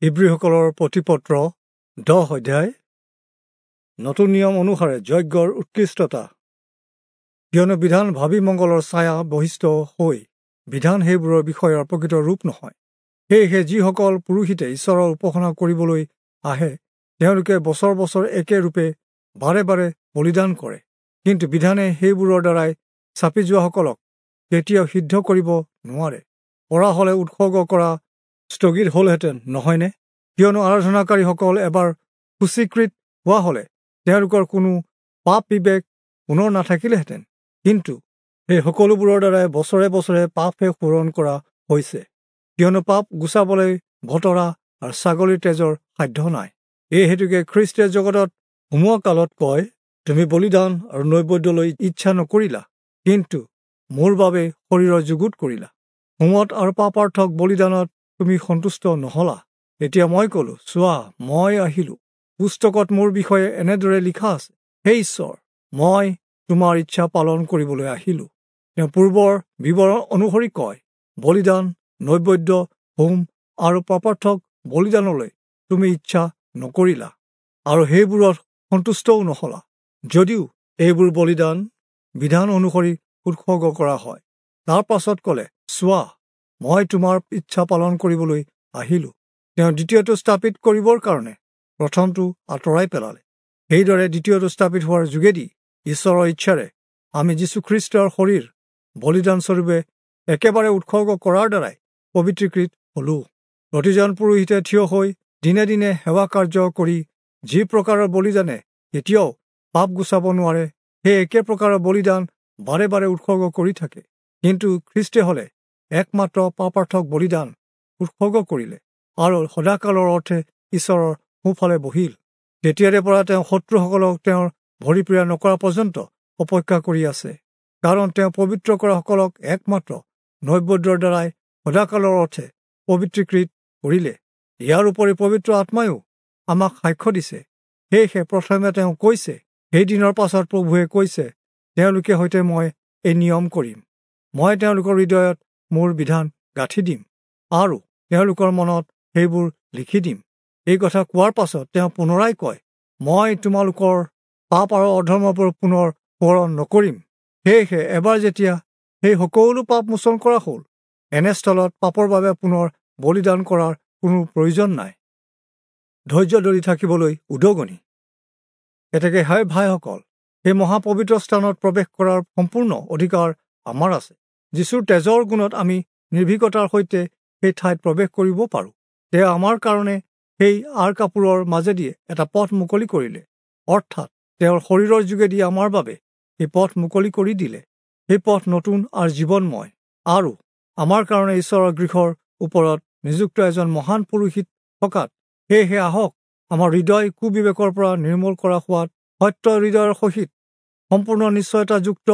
ইব্ৰীসকলৰ প্ৰতিপত্ৰ 10 অধ্যায়। নতুন নিয়ম অনুসাৰে যজ্ঞৰ উৎকৃষ্টতা। কিয়নো বিধান ভাবি মংগলৰ ছায়া বহিষ্ঠ হৈ বিধান সেইবোৰৰ বিষয়ৰ প্ৰকৃত ৰূপ নহয়। সেয়েহে যিসকল পুৰোহিতে ঈশ্বৰৰ উপাসনা কৰিবলৈ আহে, তেওঁলোকে বছৰ বছৰ একে ৰূপে বাৰে বাৰে বলিদান কৰে। কিন্তু বিধানে সেইবোৰৰ দ্বাৰাই চাপি যোৱাসকলক কেতিয়াও সিদ্ধ কৰিব নোৱাৰে। পৰা হ'লে উৎসৰ্গ কৰা স্থগিত হ'লহেঁতেন নহয়নে? কিয়নো আৰাধনাকাৰীসকল এবাৰ সূচীকৃত হোৱা হ'লে তেওঁলোকৰ কোনো পাপ বিবেক পুনৰ নাথাকিলেহেঁতেন। কিন্তু সেই সকলোবোৰৰ দ্বাৰাই বছৰে বছৰে পাপহে সোঁৱৰণ কৰা হৈছে। কিয়নো পাপ গুচাবলৈ ভতৰা আৰু ছাগলীৰ তেজৰ সাধ্য নাই। এই হেতুকে খ্ৰীষ্টে জগতত সোমোৱা কালত কয়, তুমি বলিদান আৰু নৈবেদ্যলৈ ইচ্ছা নকৰিলা, কিন্তু মোৰ বাবে শৰীৰৰ যুগুত কৰিলা। হোমত আৰু পাপাৰ্থক বলিদানত তুমি সন্তুষ্ট নহলা। এতিয়া মই কলো, চোৱা, মই আহিলো। পুস্তকত মোৰ বিষয়ে এনেদৰে লিখা আছে, হে ঈশ্বৰ, মই তোমাৰ ইচ্ছা পালন কৰিবলৈ আহিলো। তেওঁ পূৰ্বৰ বিৱৰণ অনুসৰি কয়, বলিদান, নৈবেদ্য, হোম আৰু পাপাৰ্থক বলিদানলৈ তুমি ইচ্ছা নকৰিলা আৰু সেইবোৰত সন্তুষ্টও নহলা, যদিও এইবোৰ বলিদান বিধান অনুসৰি উৎসৰ্গ কৰা হয়। তাৰ পাছত কলে, চোৱা, মই তোমাৰ ইচ্ছা পালন কৰিবলৈ আহিলো। তেওঁ দ্বিতীয়টো স্থাপিত কৰিবৰ কাৰণে প্ৰথমটো আঁতৰাই পেলালে। সেইদৰে দ্বিতীয়টো স্থাপিত হোৱাৰ যোগেদি ঈশ্বৰৰ ইচ্ছাৰে আমি যীশুখ্ৰীষ্টৰ শৰীৰ বলিদানস্বৰূপে একেবাৰে উৎসৰ্গ কৰাৰ দ্বাৰাই পবিত্ৰীকৃত হলো। প্ৰতিজন পুৰোহিতে থিয় হৈ দিনে দিনে সেৱা কাৰ্য কৰি যি প্ৰকাৰৰ বলিদানে কেতিয়াও পাপ গুচাব নোৱাৰে, সেই একে প্ৰকাৰৰ বলিদান বাৰে বাৰে উৎসৰ্গ কৰি থাকে। কিন্তু খ্ৰীষ্টে হলে একমাত্ৰ পাপাৰ্থক বলিদান উৎসৰ্গ কৰিলে আৰু সদাকালৰ অৰ্থে ঈশ্বৰৰ সোঁফালে বহিল। তেতিয়াৰে পৰা তেওঁ শত্ৰুসকলক তেওঁৰ ভৰি পীড়া নকৰা পৰ্যন্ত অপেক্ষা কৰি আছে, কাৰণ তেওঁ পবিত্ৰ কৰাসকলক একমাত্ৰ নৈবেদ্যৰ দ্বাৰাই সদাকালৰ অৰ্থে পবিত্ৰীকৃত কৰিলে। ইয়াৰ উপৰি পবিত্ৰ আত্মায়ো আমাক সাক্ষ্য দিছে। সেয়েহে প্ৰথমে তেওঁ কৈছে, সেই দিনৰ পাছত প্ৰভুৱে কৈছে, তেওঁলোকে সৈতে মই এই নিয়ম কৰিম, মই তেওঁলোকৰ হৃদয়ত মোৰ বিধান গাঁঠি দিম আৰু তেওঁলোকৰ মনত সেইবোৰ লিখি দিম। এই কথা কোৱাৰ পাছত তেওঁ পুনৰাই কয়, মই তোমালোকৰ পাপ আৰু অধৰ্মবোৰ পুনৰ সোঁৱৰণ নকৰিম। সেয়েহে এবাৰ যেতিয়া সেই সকলো পাপ মোচন কৰা হ'ল, এনেস্থলত পাপৰ বাবে পুনৰ বলিদান কৰাৰ কোনো প্ৰয়োজন নাই। ধৈৰ্য ধৰি থাকিবলৈ উদগনি। এতেকে হে ভাইসকল, সেই মহাপবিত্ৰ স্থানত প্ৰৱেশ কৰাৰ সম্পূৰ্ণ অধিকাৰ আমাৰ আছে। যীশুৰ তেজৰ গুণত আমি নিৰ্ভীকতাৰ সৈতে সেই ঠাইত প্ৰৱেশ কৰিব পাৰোঁ। তেওঁ আমাৰ কাৰণে সেই আঁৰ কাপোৰৰ মাজেদি এটা পথ মুকলি কৰিলে, অৰ্থাৎ তেওঁৰ শৰীৰৰ যোগেদি আমাৰ বাবে সেই পথ মুকলি কৰি দিলে। সেই পথ নতুন আৰু জীৱনময়, আৰু আমাৰ কাৰণে ঈশ্বৰৰ গৃহৰ ওপৰত নিযুক্ত এজন মহান পুৰোহিত থকাত, সেয়েহে আহক আমাৰ হৃদয় কুবিবেকৰ পৰা নিৰ্মূল কৰা হোৱাত সত্য হৃদয়ৰ সহিত সম্পূৰ্ণ নিশ্চয়তাযুক্ত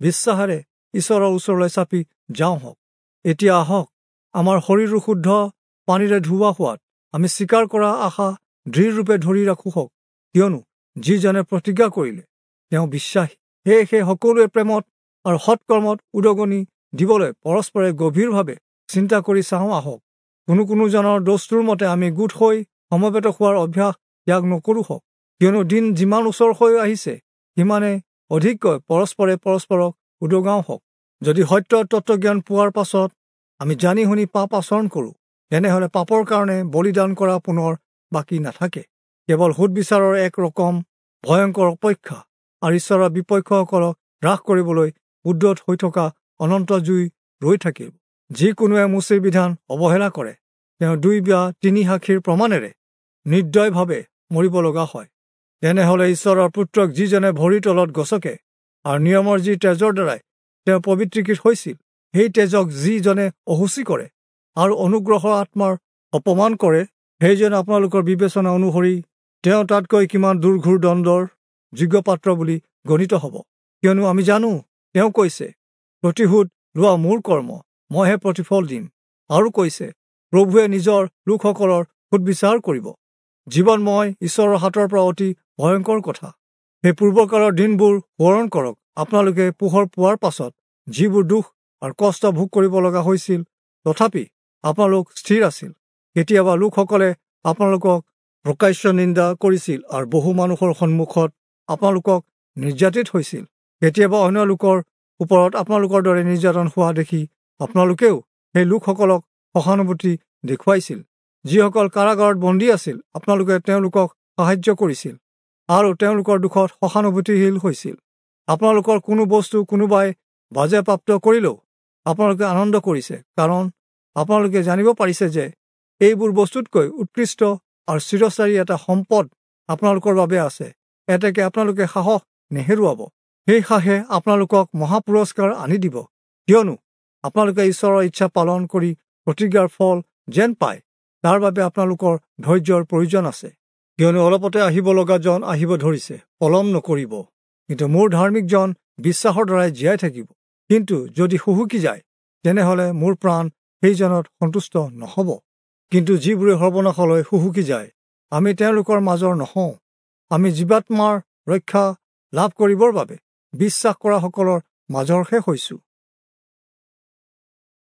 বিশ্বাসেৰে ঈশ্বৰৰ ওচৰলৈ চাপি যাওঁ হওক। এতিয়া আহক আমাৰ শৰীৰো শুদ্ধ পানীৰে ধোৱা হোৱাত আমি স্বীকাৰ কৰা আশা দৃঢ়ৰূপে ধৰি ৰাখোঁ হওক, কিয়নো যিজনে প্ৰতিজ্ঞা কৰিলে তেওঁ বিশ্বাসী। সেয়েহে সকলোৱে প্ৰেমত আৰু সৎকৰ্মত উদগনি দিবলৈ পৰস্পৰে গভীৰভাৱে চিন্তা কৰি চাওঁ আহক। কোনো কোনোজনৰ দস্তুৰ মতে আমি গোট হৈ সমবেত হোৱাৰ অভ্যাস ত্যাগ নকৰোঁ হওক, কিয়নো দিন যিমান ওচৰ হৈ আহিছে সিমানে অধিককৈ পৰস্পৰে পৰস্পৰক উদগাওঁ হওক। যদি সত্য তত্ত্বজ্ঞান পোৱাৰ পাছত আমি জানি শুনি পাপ আচৰণ কৰোঁ, তেনেহ'লে পাপৰ কাৰণে বলিদান কৰা পুনৰ বাকী নাথাকে, কেৱল সুদবিচাৰৰ এক ৰকম ভয়ংকৰ অপেক্ষা আৰু ঈশ্বৰৰ বিপক্ষসকলক হ্ৰাস কৰিবলৈ উদ্যত হৈ থকা অনন্ত জুই ৰৈ থাকিব। যিকোনোৱে মোচিৰ বিধান অৱহেলা কৰে, তেওঁ 2 বা 3 সাক্ষীৰ প্ৰমাণেৰে নিৰ্দয়ভাৱে মৰিব লগা হয়। তেনেহ'লে ঈশ্বৰৰ পুত্ৰক যিজনে ভৰিৰ তলত গছকে আৰু নিয়মৰ যি তেজৰ দ্বাৰাই তেওঁ পবিত্ৰীকৃত হৈছিল, সেই তেজক যিজনে অসুচি কৰে আৰু অনুগ্ৰহৰ আত্মাৰ অপমান কৰে, সেইজন আপোনালোকৰ বিবেচনা অনুসৰি তেওঁ তাতকৈ কিমান দুৰ্ঘোৰ দণ্ডৰ যোগ্য পাত্ৰ বুলি গণিত হ'ব। কিয়নো আমি জানো, তেওঁ কৈছে, প্ৰতিশোধ লোৱা মোৰ কৰ্ম, মইহে প্ৰতিফল দিম। আৰু কৈছে, প্ৰভুৱে নিজৰ লোকসকলৰ সুদবিচাৰ কৰিব। জীৱনময় ঈশ্বৰৰ হাতৰ পৰা অতি ভয়ংকৰ কথা। সেই পূৰ্বকালৰ দিনবোৰ সোঁৱৰণ কৰক। আপোনালোকে পোহৰ পোৱাৰ পাছত যিবোৰ দুখ আৰু কষ্ট ভোগ কৰিব লগা হৈছিল, তথাপি আপোনালোক স্থিৰ আছিল। কেতিয়াবা লোকসকলে আপোনালোকক প্ৰকাশ্য নিন্দা কৰিছিল আৰু বহু মানুহৰ সন্মুখত আপোনালোকক নিৰ্যাতিত হৈছিল। কেতিয়াবা অন্য লোকৰ ওপৰত আপোনালোকৰ দৰে নিৰ্যাতন হোৱা দেখি আপোনালোকেও সেই লোকসকলক সহানুভূতি দেখুৱাইছিল। যিসকল কাৰাগাৰত বন্দী আছিল, আপোনালোকে তেওঁলোকক সাহায্য কৰিছিল আৰু তেওঁলোকৰ দুখত সহানুভূতিশীল হৈছিল। আপোনালোকৰ কোনো বস্তু কোনোবাই বাজেপ্ৰাপ্ত কৰিলেও আপোনালোকে আনন্দ কৰিছে, কাৰণ আপোনালোকে জানিব পাৰিছে যে এইবোৰ বস্তুতকৈ উৎকৃষ্ট আৰু চিৰস্থায়ী এটা সম্পদ আপোনালোকৰ বাবে আছে। এতেকে আপোনালোকে সাহস নেহেৰুৱাব। সেই সাহে আপোনালোকক মহাপুৰস্কাৰ আনি দিব, কিয়নো আপোনালোকে ঈশ্বৰৰ ইচ্ছা পালন কৰি প্ৰতিজ্ঞাৰ ফল যেন পায় তাৰ বাবে আপোনালোকৰ ধৈৰ্যৰ প্ৰয়োজন আছে। কিয়নো অলপতে আহিব লগা জন আহিব ধৰিছে, পলম নকৰিব। কিন্তু মোৰ ধাৰ্মিকজন বিশ্বাসৰ দ্বাৰাই জীয়াই থাকিব। কিন্তু যদি হুহুকি যায়, তেনেহলে মোৰ প্ৰাণ সেইজনত সন্তুষ্ট নহ'ব। কিন্তু যিবোৰে সৰ্বনাশলৈ হুহুকি যায়, আমি তেওঁলোকৰ মাজৰ নহওঁ। আমি জীৱাত্মাৰ ৰক্ষা লাভ কৰিবৰ বাবে বিশ্বাস কৰাসকলৰ মাজৰহে হৈছোঁ।